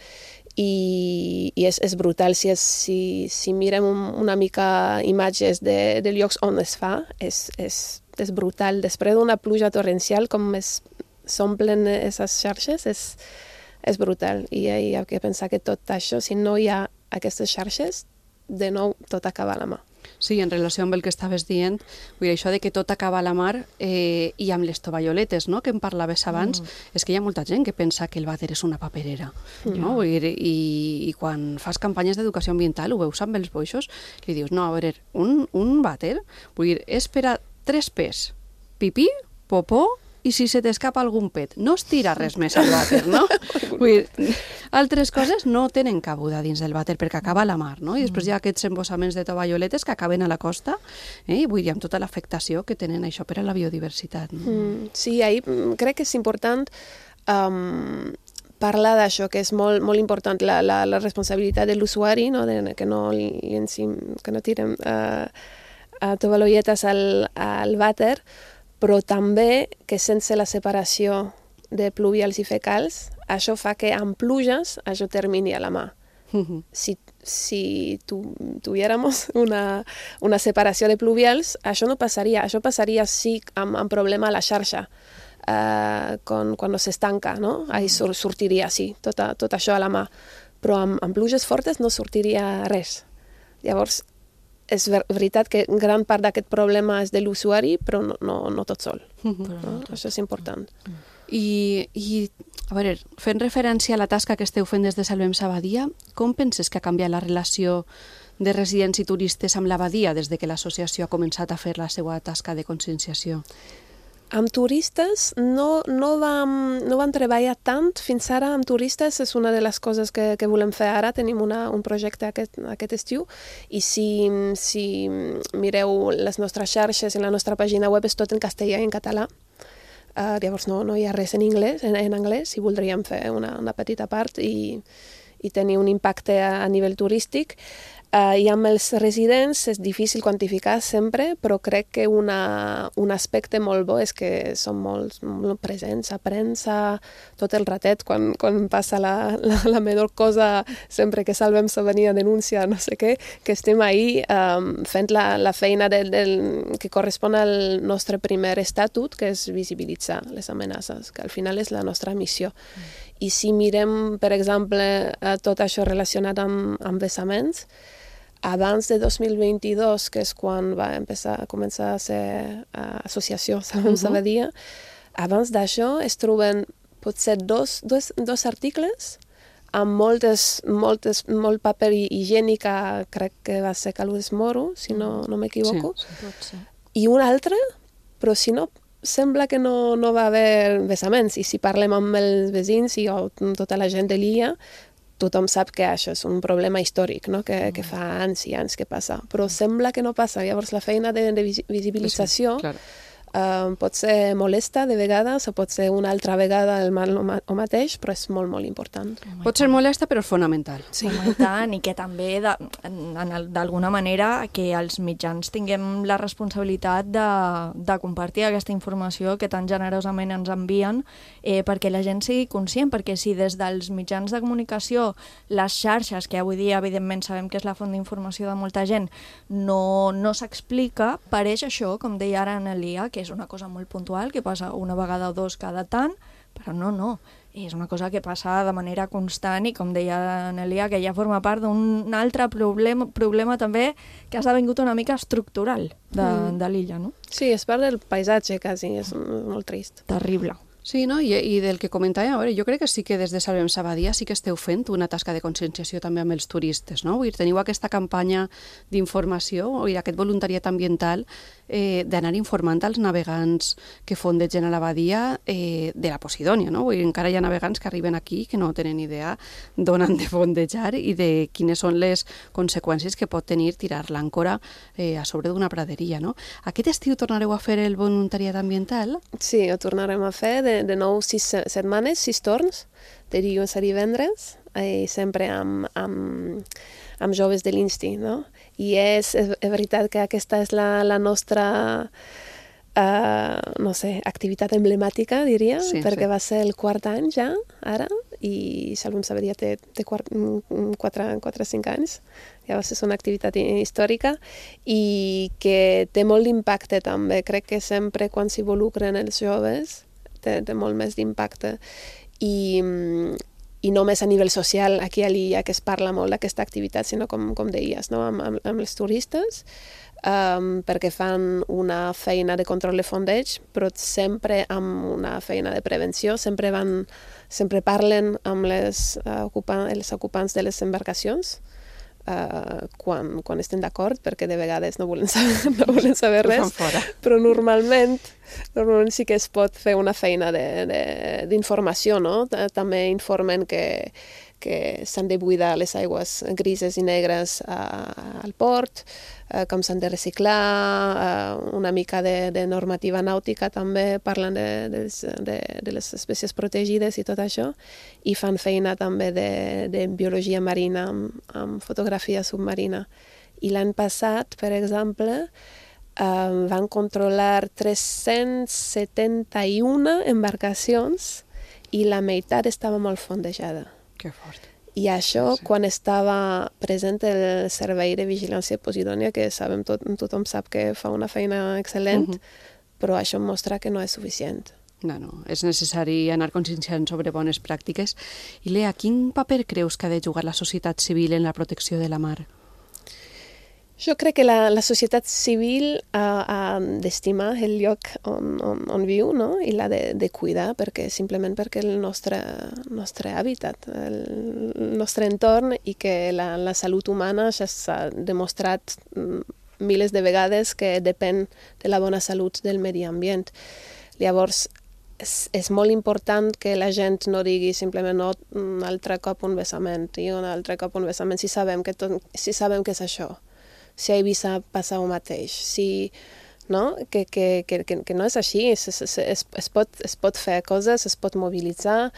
i és brutal. Si mirem una mica imatges de llocs on es fa, és brutal. Després d'una pluja torrencial, com s'omplen aquestes xarxes, és brutal. I hi ha que pensar que tot això, si no hi ha aquestes xarxes, de nou tot acaba a la mà. Sí, en relació amb el que estaves dient, vull dir, això de que tot acaba a la mar i amb les tovalloletes, no?, que em parlaves abans, és que hi ha molta gent que pensa que el vàter és una paperera, no? Vull dir, i quan fas campanyes d'educació ambiental, ho veus amb els boixos, li dius, no, a veure, un vàter, vull dir, és per a 3 P's, pipí, popó, i si se t'escapa algun pet. No es tira res més al vàter, no? Vull dir, altres coses no tenen cabuda dins del vàter perquè acaba a la mar, no? I després hi ha aquests embossaments de tovalloletes que acaben a la costa, i vull dir, amb tota l'afectació que tenen això per a la biodiversitat. No? Sí, ahí crec que és important parlar d'això, que és molt, molt important, la responsabilitat de l'usuari, no? Que no tirem tovalloletes al vàter, però també que sense la separació de pluvials i fecals, això fa que amb pluges això termini a la mà. Si tuviéramos una separació de pluvials, això no passaria. Això passaria sí amb problema a la xarxa, quan s'estanca, no? Ahí sortiria, sí, tot això a la mà. Però amb pluges fortes no sortiria res. Llavors, és veritat que gran part d'aquest problema és de l'usuari, però no tot sol. Això és important. I, a veure, fent referència a la tasca que esteu fent des de Salvem Sabadia, com penses que ha canviat la relació de residents i turistes amb l'abadia des de que l'associació ha començat a fer la seva tasca de conscienciació? Amb turistes no vam treballar tant fins ara. Amb turistes és una de les coses que volem fer ara. Tenim un projecte aquest estiu i si mireu les nostres xarxes i la nostra pàgina web és tot en castellà i en català. Llavors no hi ha res en anglès i voldríem fer una petita part i tenir un impacte a nivell turístic. I amb els residents és difícil quantificar sempre, però crec que un aspecte molt bo és que són molt presents a premsa tot el ratet, quan passa la menor cosa, sempre que Salvem Sabadia denuncia no sé què, que estem ahí fent la feina que correspon al nostre primer estatut, que és visibilitzar les amenaces, que al final és la nostra missió. I si mirem, per exemple, tot això relacionat amb vessaments, abans de 2022, que és quan va començar a ser associació Salvem Sabadia, abans d'això es troben potser dos articles amb molt paper higiènic, crec que va ser Calus Moro, si no m'equivoco, i un altre, però si no, sembla que no va haver vessaments. I si parlem amb els veïns i tota la gent de l'illa, tothom sap que això és un problema històric, no? que fa anys i anys que passa, però sembla que no passa. Llavors la feina de visibilització pot ser molesta de vegades o pot ser una altra vegada el mateix, però és molt, molt important. Pot ser molesta, però és fonamental. Sí, i tant, i que també d'alguna manera que els mitjans tinguem la responsabilitat de compartir aquesta informació que tan generosament ens envien perquè la gent sigui conscient, perquè si des dels mitjans de comunicació, les xarxes, que avui dia evidentment sabem que és la font d'informació de molta gent, no s'explica, pareix això, com deia ara Annelia, que és una cosa molt puntual, que passa una vegada o dos cada tant, però no. És una cosa que passa de manera constant i, com deia Annelia, que ja forma part d'un altre problema també que ha esdevingut una mica estructural de l'illa, no? Sí, és part del paisatge, quasi, és molt trist. Terrible. Sí, no? I del que comentàvem, a veure, jo crec que sí que des de Salvem Sabadia sí que esteu fent una tasca de conscienciació també amb els turistes, no? Vull dir, teniu aquesta campanya d'informació i aquest voluntariat ambiental d'anar informant als navegants que fondegen a la badia de la Posidònia, no? Vull dir, encara hi ha navegants que arriben aquí que no tenen idea d'on han de fondejar i de quines són les conseqüències que pot tenir tirar l'àncora a sobre d'una praderia, no? Aquest estiu tornareu a fer el voluntariat ambiental? Sí, ho tornarem a fer de nou 6 setmanes, 6 torns, de dilluns a divendres, i sempre amb joves de l'Insti, no? I és veritat que aquesta és la nostra activitat emblemàtica, diria, perquè va ser el quart any ja, ara, i Salvem Sabadia té 4 o 5 anys. Llavors és una activitat històrica i que té molt d'impacte també. Crec que sempre quan s'involucren els joves té molt més d'impacte. I només a nivell social, aquí a l'illa, que es parla molt d'aquesta activitat, sinó com deies, no? amb els turistes, perquè fan una feina de control de fondeig, però sempre amb una feina de prevenció, sempre parlen amb els ocupants de les embarcacions, quan estem d'acord, perquè de vegades no volen saber res, però normalment sí que es pot fer una feina d'informació, no? També informen que s'han de buidar les aigües grises i negres al port, com s'han de reciclar, una mica de normativa nàutica també, parlen de les espècies protegides i tot això, i fan feina també de biologia marina amb fotografia submarina. I l'any passat, per exemple, van controlar 371 embarcacions i la meitat estava molt fondejada. Que fort. I això, quan estava present el Servei de Vigilància Posidònia, que tothom sap que fa una feina excel·lent, però això mostra que no és suficient. No, és necessari anar conscienciant sobre bones pràctiques. I Lea, quin paper creus que ha de jugar la societat civil en la protecció de la mar? Jo crec que la societat civil ha d'estimar el lloc on viu, no? I l'ha de cuidar, simplement perquè el nostre hàbitat, el nostre entorn, i que la salut humana ja s'ha demostrat milers de vegades que depèn de la bona salut del medi ambient. Llavors, és molt important que la gent no digui simplement un altre cop un vessament i un altre cop un vessament, si sabem que és això. Si a Eivissa passa el mateix, no? Que no és així, es pot fer coses, es pot mobilitzar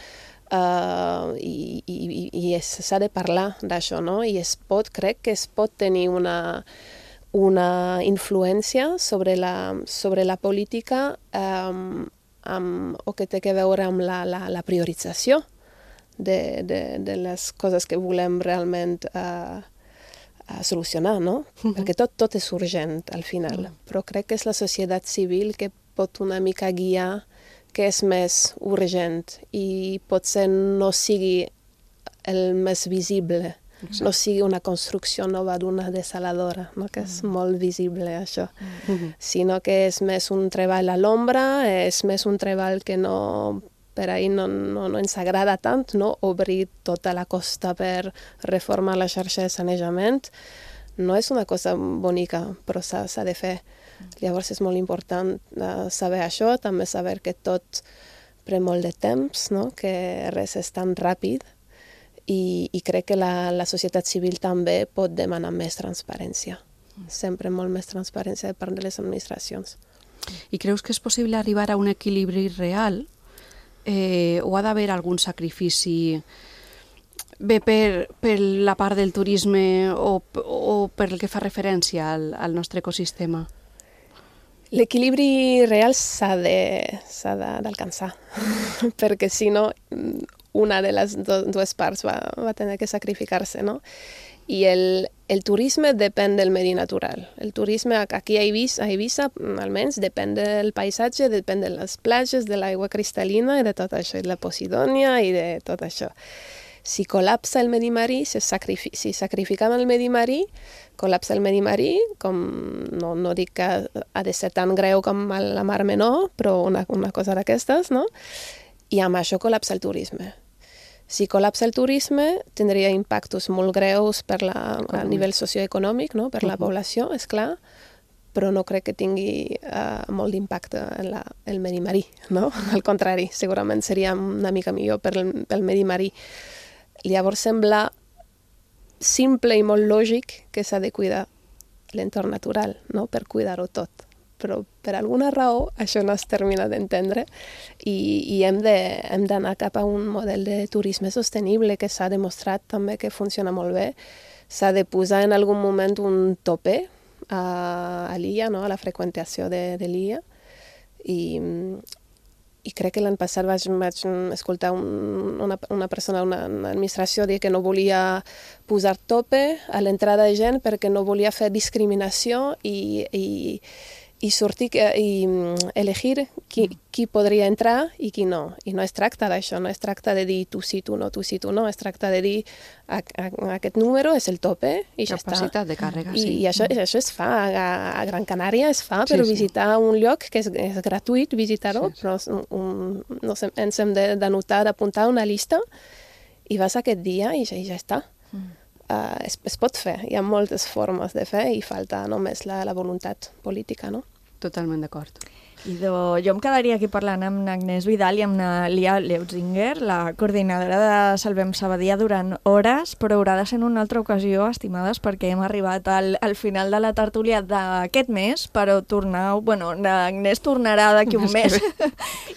i s'ha de parlar d'això, no? I crec que es pot tenir una influència sobre la política o que té a veure amb la priorització de les coses que volem realment a solucionar, no? Perquè tot és urgent al final, però crec que és la societat civil que pot una mica guiar què és més urgent i potser no sigui el més visible, no sigui una construcció nova d'una desaladora, no? Que és molt visible això, sinó que és més un treball a l'ombra, és més un treball que per ahir no ens agrada tant, no? Obrir tota la costa per reformar la xarxa de sanejament. No és una cosa bonica, però s'ha de fer. Llavors és molt important saber això, també saber que tot pren molt de temps, no? Que res és tan ràpid, i crec que la societat civil també pot demanar més transparència. Sempre molt més transparència de part de les administracions. I creus que és possible arribar a un equilibri real? O ha d'haver algun sacrifici bé per la part del turisme o per el que fa referència al nostre ecosistema? L'equilibri real s'ha d'alcançar, perquè si no, una de les dues parts va tenir que sacrificar-se, no? I el turisme depèn del medi natural. El turisme aquí a Eivissa, almenys, depèn del paisatge, depèn de les platges, de l'aigua cristal·lina i de tot això, i de la Posidònia i de tot això. Si col·lapsa el medi marí, si sacrificam el medi marí, col·lapsa el medi marí, com no dic que ha de ser tan greu com a la Mar Menor, però una cosa d'aquestes, no? I amb això col·lapsa el turisme. Si col·lapsa el turisme, tindria impactes molt greus a nivell socioeconòmic, no? Per la població, és clar, però no crec que tingui molt d'impacte en el medi marí, no? Al contrari, segurament seria una mica millor pel medi marí. Llavors sembla simple i molt lògic que s'ha de cuidar l'entorn natural, no? Per cuidar-ho tot. Però per alguna raó això no es termina d'entendre i hem d'anar cap a un model de turisme sostenible que s'ha demostrat també que funciona molt bé. S'ha de posar en algun moment un tope a l'illa, no? A la freqüentació de l'illa. I crec que l'any passat vaig escoltar una persona, una administració dir que no volia posar tope a l'entrada de gent perquè no volia fer discriminació i sortir i elegir qui podria entrar i qui no. I no es tracta d'això, no es tracta de dir tu sí, tu no, es tracta de dir aquest número és el tope i ja està. Capacitat de càrrega, sí. I això es fa, a Gran Canària es fa per visitar un lloc que és gratuït visitar-ho, però ens hem d'anotar, d'apuntar una llista i vas aquest dia i ja està. Es pot fer, hi ha moltes formes de fer i falta només la voluntat política, no? Totalment d'acord. Jo em quedaria aquí parlant amb Agnès Vidal i amb Lia Leutzinger, la coordinadora de Salvem Sabadia, durant hores, però haurà de ser en una altra ocasió, estimades, perquè hem arribat al final de la tertúlia d'aquest mes, però Agnès tornarà d'aquí un mes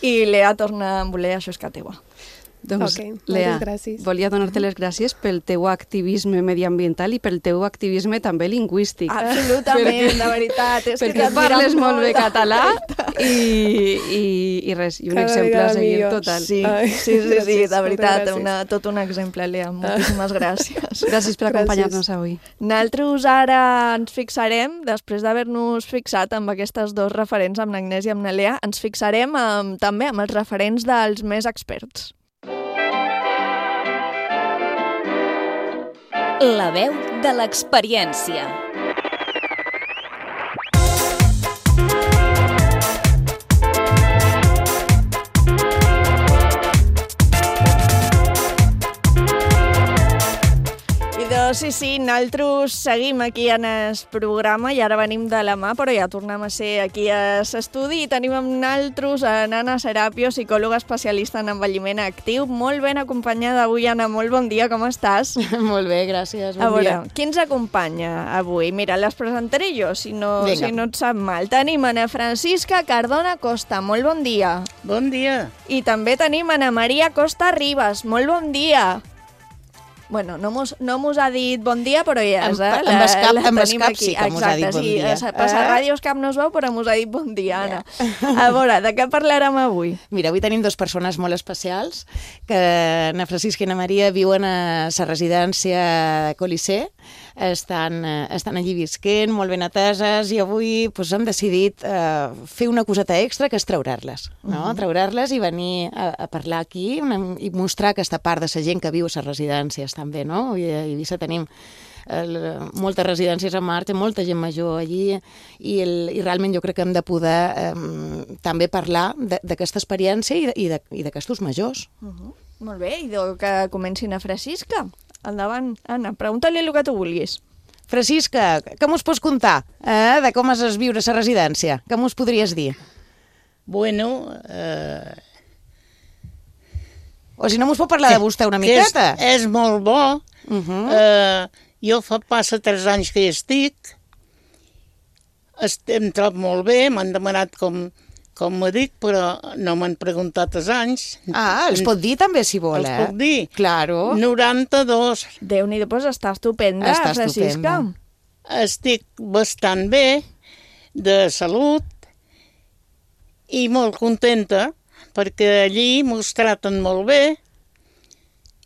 i Lea torna amb voler, això és que teua. Doncs, Lea, volia donar-te les gràcies pel teu activisme mediambiental i pel teu activisme també lingüístic. Absolutament, de veritat. Perquè parles molt bé català i res, i un exemple a seguir total. Sí, de veritat, tot un exemple, Lea. Moltíssimes gràcies. Gràcies per acompanyar-nos avui. Nosaltres ara ens fixarem, després d'haver-nos fixat amb aquestes dos referents, amb l'Agnès i amb la Lea, ens fixarem també amb els referents dels més experts. La veu de l'experiència. Sí, nosaltres seguim aquí en el programa i ara venim de la mà, però ja tornem a ser aquí a l'estudi i tenim amb nosaltres a Anna Serapio, psicòloga especialista en envelliment actiu. Molt ben acompanyada avui, Anna. Molt bon dia, com estàs? Molt bé, gràcies. Bon dia. Qui ens acompanya avui? Mira, les presentaré jo, si no et sap mal. Tenim Ana Francisca Cardona Costa. Molt bon dia. Bon dia. I també tenim Ana Maria Costa Ribas. Molt bon dia. Bueno, no mos ha dit bon dia, però ja és, Amb escap sí que mos ha dit bon dia. Passa ràdios cap no es veu, però mos ha dit bon dia, Anna. A veure, de què parlarem avui? Mira, avui tenim dues persones molt especials, que Ana Francisca i Ana Maria viuen a la residència Colisée, estan allí visquent, molt ben ateses, i avui hem decidit fer una coseta extra, que és treurar-les, no? Treurar-les i venir a parlar aquí i mostrar aquesta part de la gent que viu a les residències també, no? I a Eivissa tenim moltes residències en marxa, molta gent major allí i realment jo crec que hem de poder també parlar d'aquesta experiència i d'aquestos majors. Molt bé, i que comencin a Francisca. Endavant, Anna, pregunta-li el que tu vulguis. Francisca, què mos pots contar de com és viure a la residència? Què mos podries dir? Bueno... O si no mos pot parlar de vostè una miqueta. És molt bo. Jo passa 3 anys que hi estic. Em trobo molt bé, m'han demanat com me dic, però no m'han preguntat els anys. Els pot dir també, si vol, Els puc dir. Claro. 92. Déu-n'hi-do, doncs està estupenda, Francisca. Estic bastant bé, de salut, i molt contenta, perquè allí mos traten molt bé,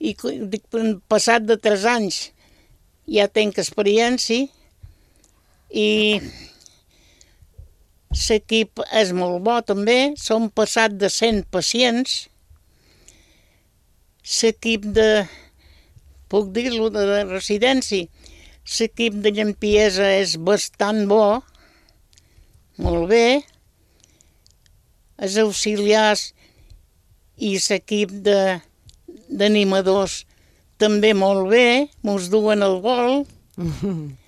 i passat de 3 anys ja tenc experiència, i l'equip és molt bo també, som passat de 100 pacients, l'equip puc dir-lo, de residència, l'equip de limpiesa és bastant bo, molt bé, els auxiliars i l'equip d'animadors també molt bé, mos duen el gol,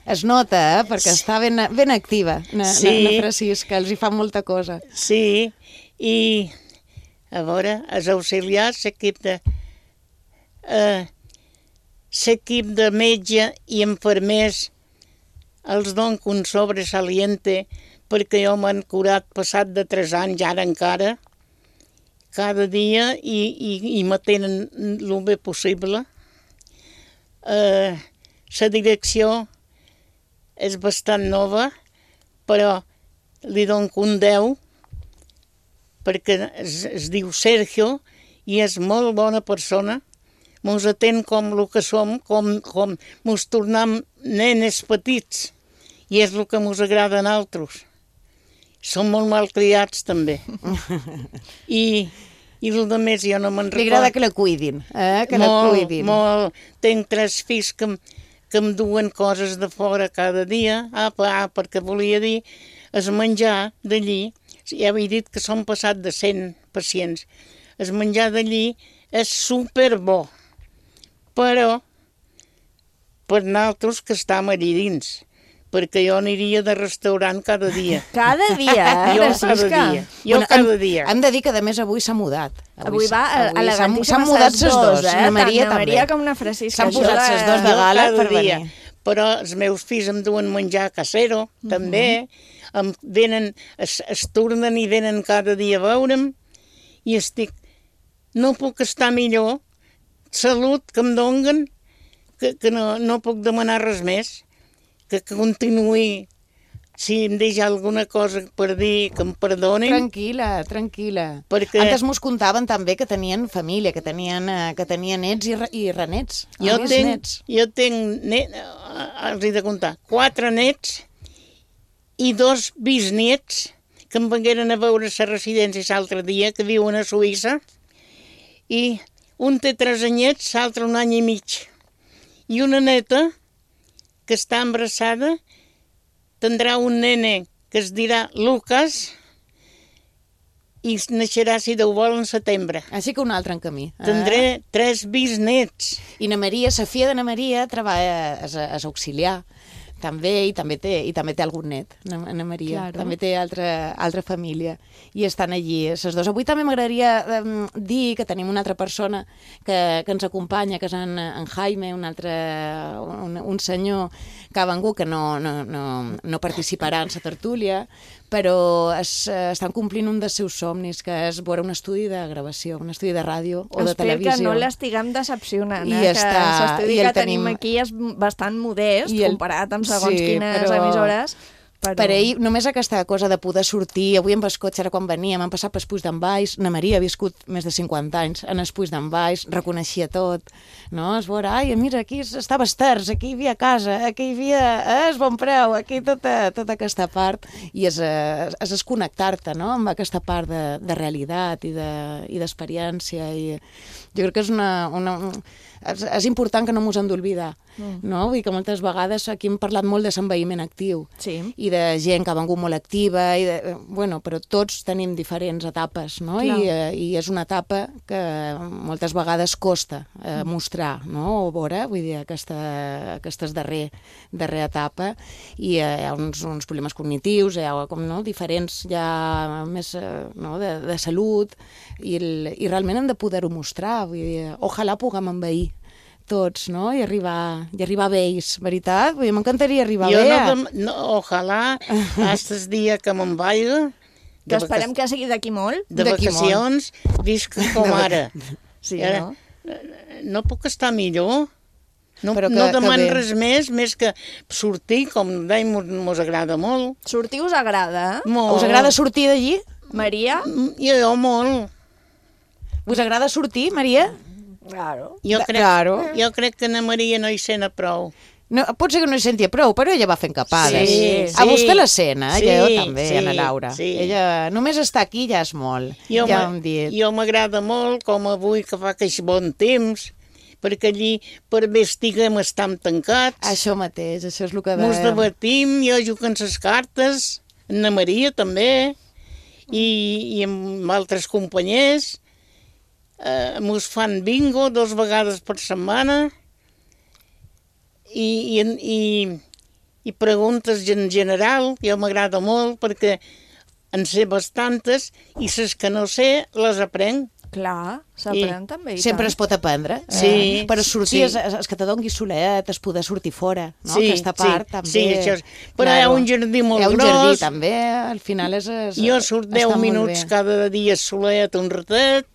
Es nota, perquè està ben activa, na Francisca, els hi fa molta cosa. Sí, i a veure, els auxiliars, l'equip de metge i infermers els dono un sobresaliente perquè jo m'han curat passat de 3 anys, ara encara, cada dia i me tenen el bé possible. La direcció és bastant nova, però li dono un 10 perquè es diu Sergio i és molt bona persona. Mos atén com el que som, com mos tornem nenes petits i és el que mos agrada a nosaltres. Som molt malcriats també. I el de més jo no me'n recordo. Li agrada que la cuidin, que la cuidin. Molt. Tenc 3 fills que em duen coses de fora cada dia, perquè volia dir, el menjar d'allí, ja havia dit que som passat de 100 pacients, el menjar d'allí és superbo, però per nosaltres que estem allí dins, perquè jo aniria de restaurant cada dia. Cada dia, Francisca? Jo cada dia. Hem de dir que, a més, avui s'ha mudat. Avui va elegantíssima. S'han mudat ses dos, la Maria també. Maria com una Francisca. S'han posat ses dos de gala per venir. Però els meus fills em duen menjar casero, també. Venen, es tornen i venen cada dia a veure'm i estic... No puc estar millor. Salut que em donguen, que no puc demanar res més. Que continuï, si em deixa alguna cosa per dir, que em perdonin. Tranquil·la. Antes mos contaven també que tenien família, que tenien nets i renets. Jo tinc, els he de contar, 4 nets i 2 bisnets que em vengueren a veure a la residència l'altre dia, que viuen a Suïssa, i un té 3 anyets, l'altre 1 any i mig. I una neta que està embarassada, tindrà un nene que es dirà Lucas i naixerà, si Déu vol, en setembre. Així que un altre en camí. Tindré 3 bisnets. I na Maria, la filla de na Maria, treballa és auxiliar, també, i també té algun net, na Maria. Claro. També té altra família. I estan allí, les dos. Avui també m'agradaria dir que tenim una altra persona que ens acompanya, que és en Jaime, un senyor que ha vengut, que no participarà en la tertúlia, però estan complint un dels seus somnis, que és veure un estudi de gravació, un estudi de ràdio o de televisió. Espero que no l'estiguem decepcionant, que l'estudi que tenim aquí és bastant modest, comparat amb segons quines emissores. Per ell, només aquesta cosa de poder sortir, avui amb el cotxe, ara quan veníem, hem passat pel Puig d'en Baix, na Maria ha viscut més de 50 anys en el Puig d'en Baix, reconeixia tot, no? Es veure, ai, mira, aquí estava Esters, aquí hi havia casa, aquí hi havia el Bon Preu, aquí tota aquesta part, i és connectar-te, no?, amb aquesta part de realitat i d'experiència, i jo crec que és important que no mos hem d'oblidar, no? Vull dir que moltes vegades aquí hem parlat molt de l'envelliment actiu i de gent que ha vengut molt activa, però tots tenim diferents etapes, no? I és una etapa que moltes vegades costa mostrar, no? O veure, vull dir, aquesta darrera etapa, i hi ha uns problemes cognitius, hi ha diferents ja més de salut, i realment hem de poder-ho mostrar, vull dir, ojalà puguem envellir tots, no? I arribar a ells, veritat? Vull dir, m'encantaria arribar a ells. Ojalà, hasta el dia que me'n vagi, que esperem que sigui d'aquí molt. De vacacions, visc com ara. Sí, no? No puc estar millor. No demano res més que sortir, com dèiem, mos agrada molt. Sortir us agrada? Molt. Us agrada sortir d'allí? Maria? Jo molt. Us agrada sortir, Maria? Claro. Jo crec que na Maria no hi sent prou. No, pot ser que no hi sentia prou, però ella va fent capades. Sí. A vostè la sent, jo també, Ana Laura. Ella només està aquí ja és molt. Jo m'agrada molt, com avui que fa aquest bon temps, perquè allí per bé estiguem estam tancats. Això mateix, això és el que mos debatim, jo jugo en les cartes, na Maria també, i amb altres companys. Mos fan bingo 2 vegades per setmana i i preguntes en general, jo m'agrada molt perquè en sé bastantes i les que no sé les aprenc. Clar, s'aprèn també. Sempre es pot aprendre. Sí. Però sortir, és que te doni solet, es poder sortir fora, no? Sí, Aquesta part també. Sí, això és. Però hi ha un jardí molt gros. Hi ha un jardí també, al final és jo surt 10 minuts cada dia solet, un ratet,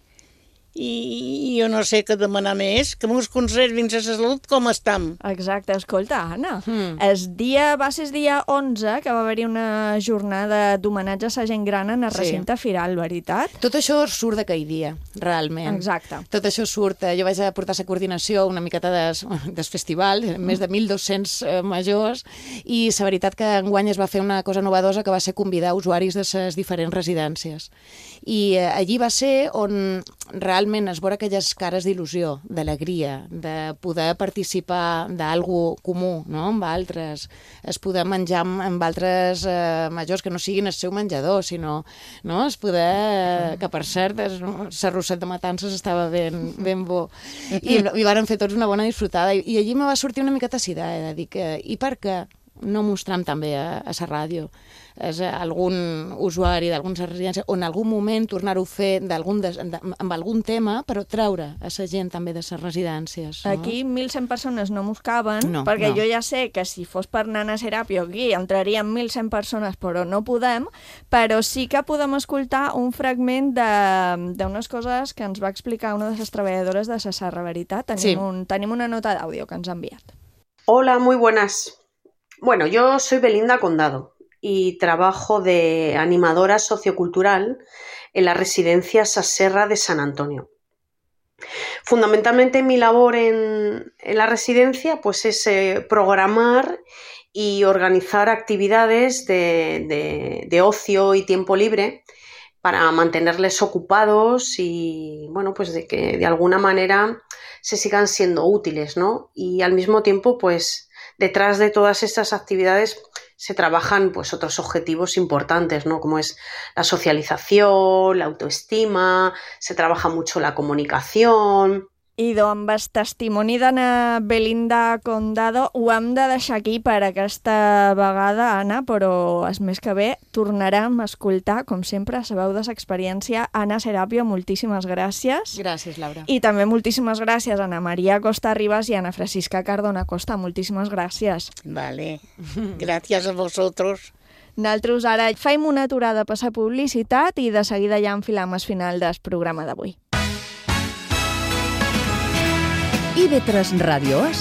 i jo no sé què demanar més, que mos conservin la salut com estem. Exacte, escolta, Anna, va ser el dia 11 que va haver-hi una jornada d'homenatge a la gent gran en el recinte firal, veritat? Tot això surt d'aquell dia, realment. Exacte. Tot això surt, jo vaig portar la coordinació una miqueta del festival, més de 1.200 majors, i la veritat que enguany es va fer una cosa novedosa que va ser convidar usuaris de les diferents residències. I allí va ser on realment es veure aquelles cares d'il·lusió, d'alegria, de poder participar d'algú comú, no?, amb altres, es poder menjar amb altres majors que no siguin el seu menjador, sinó, no?, es poder, que per cert, l'arrosset de matances estava ben bo, i varen fer tots una bona disfrutada, i allí me va sortir una miqueta la idea de dir que, i per què no mostram també a la ràdio algun usuari d'algunes residències o en algun moment tornar-ho a fer amb algun tema, però treure a la gent també de les residències. No? Aquí 1.100 persones no mos caben, perquè jo ja sé que si fos per anar a Serapio aquí entrarien 1.100 persones, però no podem, però sí que podem escoltar un fragment d'unes coses que ens va explicar una de les treballadores de la Serra Veritat. Tenim una nota d'àudio que ens ha enviat. Hola, muy buenas. Bueno, yo soy Belinda Condado y trabajo de animadora sociocultural en la residencia Saserra de San Antonio. Fundamentalmente mi labor en la residencia pues es programar y organizar actividades de ocio y tiempo libre para mantenerles ocupados y bueno, pues de que de alguna manera se sigan siendo útiles, ¿no? Y al mismo tiempo pues detrás de todas estas actividades se trabajan pues otros objetivos importantes, ¿no? Como es la socialización, la autoestima, se trabaja mucho la comunicación. I amb el testimoni d'Anna Belinda Condado ho hem de deixar aquí per aquesta vegada, Anna, però és més que bé, tornarem a escoltar, com sempre, la veu de l'experiència. Anna Serapio, moltíssimes gràcies. Gràcies, Laura. I també moltíssimes gràcies a Ana Maria Costa Ribas i Ana Francisca Cardona Costa. Moltíssimes gràcies. Vale, gràcies a vosaltres. Nosaltres ara fem una aturada per la publicitat i de seguida ja enfilam el final del programa d'avui. IB3 Ràdio és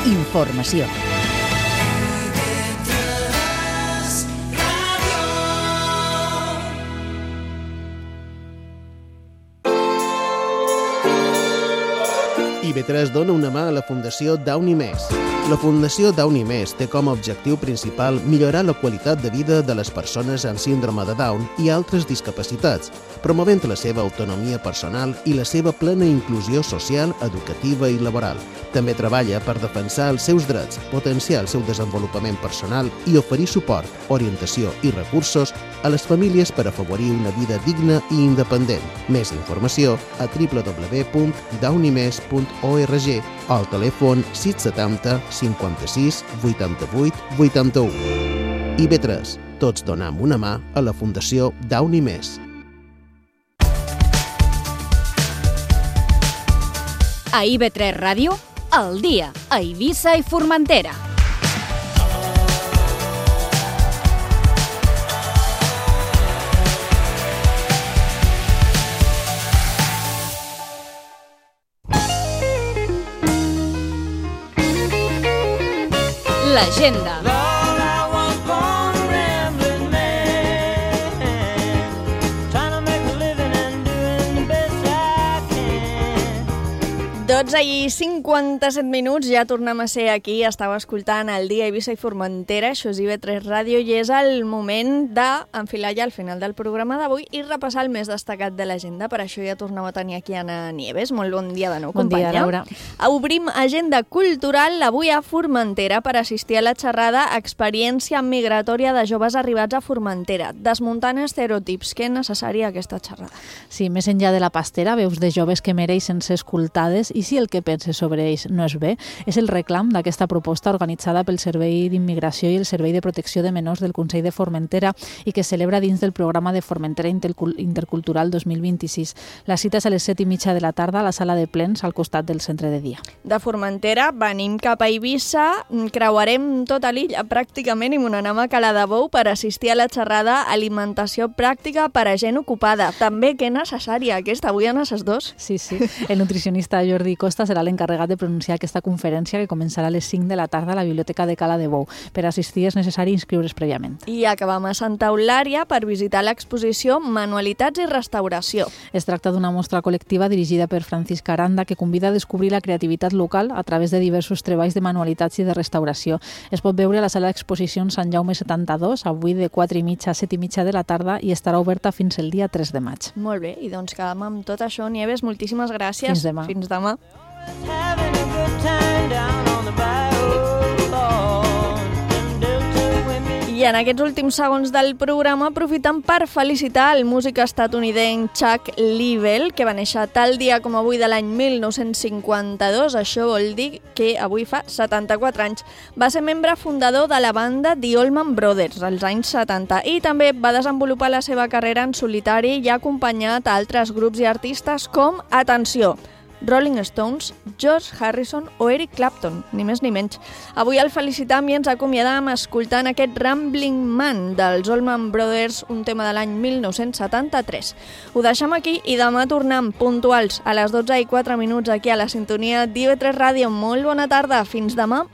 informació. IB3 dona una mà a la Fundació Downy Més. La Fundació Downy Més té com a objectiu principal millorar la qualitat de vida de les persones amb síndrome de Down i altres discapacitats, promovent la seva autonomia personal i la seva plena inclusió social, educativa i laboral. També treballa per defensar els seus drets, potenciar el seu desenvolupament personal i oferir suport, orientació i recursos a les famílies per afavorir una vida digna i independent. Més informació a www.downymes.org o al telèfon 670 56 88 81. IB3. Tots donem una mà a la Fundació Downy Més. A IB3 Ràdio, al dia, a Eivissa i Formentera. L'agenda. I 57 minuts, ja tornem a ser aquí, estava escoltant el dia Eivissa i Formentera, això és IB3 Ràdio, i és el moment d'enfilar ja al final del programa d'avui i repassar el més destacat de l'agenda. Per això ja tornem a tenir aquí Anna Nieves. Molt bon dia de nou, companya. Bon dia, Laura. Obrim agenda cultural avui a Formentera per assistir a la xerrada Experiència migratòria de joves arribats a Formentera, desmuntant estereotips. Que necessària aquesta xerrada. Sí, més enllà de la pastera, veus de joves que mereixen ser escoltades i i si el que penses sobre ells no és bé, és el reclam d'aquesta proposta organitzada pel Servei d'Immigració i el Servei de Protecció de Menors del Consell de Formentera i que celebra dins del programa de Formentera Intercultural 2026. La cita és a les 7:30 de la tarda a la sala de plens al costat del centre de dia. De Formentera venim cap a Eivissa, creuarem tota l'illa pràcticament i me n'anem a Cala de Bou per assistir a la xerrada Alimentació pràctica per a gent ocupada. També que necessària aquesta, avui en les dos. Sí. El nutricionista Jordi Costa serà l'encarregat de pronunciar aquesta conferència que començarà a les 5 de la tarda a la Biblioteca de Cala de Bou. Per assistir és necessari inscriure's prèviament. I acabam a Santa Eulària per visitar l'exposició Manualitats i Restauració. Es tracta d'una mostra col·lectiva dirigida per Francisca Aranda que convida a descobrir la creativitat local a través de diversos treballs de manualitats i de restauració. Es pot veure a la sala d'exposicions Sant Jaume 72, avui de 4:30 a 7:30 de la tarda i estarà oberta fins el dia 3 de maig. Molt bé, i doncs quedam amb tot això. Nieves, moltíssimes gràcies. Fins demà. Fins demà. I en aquests últims segons del programa aprofitem per felicitar el músic estatunidenc Chuck Leavell, que va néixer tal dia com avui de l'any 1952. Això vol dir que avui fa 74 anys. Va ser membre fundador de la banda The Allman Brothers als anys 70 i també va desenvolupar la seva carrera en solitari i ha acompanyat a altres grups i artistes com, atenció, Rolling Stones, George Harrison o Eric Clapton, ni més ni menys. Avui el felicitam i ens acomiadam escoltant aquest Rambling Man dels Allman Brothers, un tema de l'any 1973. Ho deixem aquí i demà tornem puntuals a les 12:04 aquí a la sintonia d'IV3 Ràdio. Molt bona tarda, fins demà.